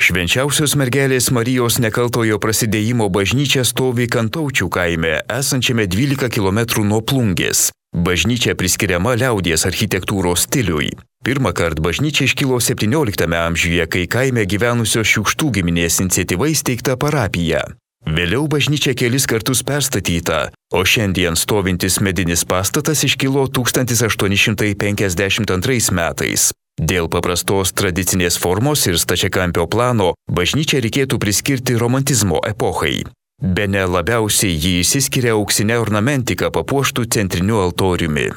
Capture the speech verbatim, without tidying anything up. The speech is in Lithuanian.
Švenčiausios mergelės Marijos nekaltojo prasidėjimo bažnyčia stovi Kantaučių kaime, esančiame dvylika kilometrų nuo Plungės. Bažnyčia priskiriama liaudies architektūros stiliui. Pirmą kartą bažnyčia iškilo septynioliktame amžiuje, kai kaime gyvenusios Šiukštų giminės iniciatyva įsteigta parapija. Vėliau bažnyčia kelis kartus perstatyta, o šiandien stovintis medinis pastatas iškilo tūkstantis aštuoni šimtai penkiasdešimt antrais metais. Dėl paprastos tradicinės formos ir stačiakampio plano bažnyčią reikėtų priskirti romantizmo epochai. Bene labiausiai jį išsiskiria auksinė ornamentika papuoštų centriniu altoriumi.